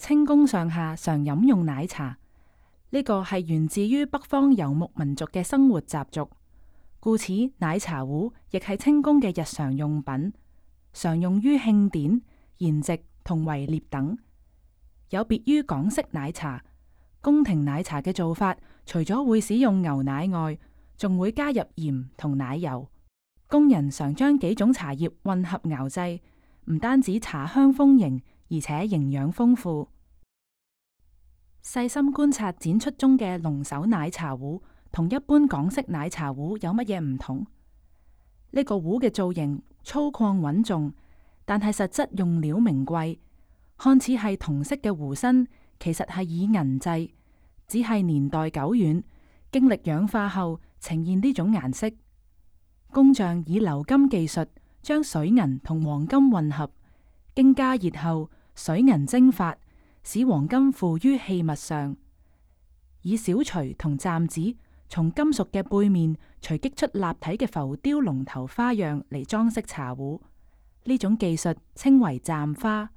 清宮上下常飲用奶茶，呢個係源自於北方游牧民族嘅生活習俗，故此奶茶壺亦係清宮嘅日常用品，常用於慶典、筵席同圍獵等。有別於港式奶茶，宮廷奶茶嘅做法，除咗會使用牛奶外，仲會加入鹽同奶油。工人常將幾種茶葉混合熬製，唔單止茶香豐盈，而且營養豐富。細心觀察展出中嘅龍首奶茶壺，同一般港式奶茶壺有乜嘢唔同？呢個壺嘅造型粗獷穩重，但係實質用料名貴。看似係銅色嘅壺身，其實係以銀製，只係年代久遠，經歷氧化後呈現呢種顏色。工匠以鎏金技術將水銀同黃金混合，經加熱後，水銀蒸發，使黃金附於器物上。以小錘同暫子從金屬嘅背面錘擊出立體嘅浮雕龍頭花樣嚟裝飾茶壺，呢種技術稱為暫花。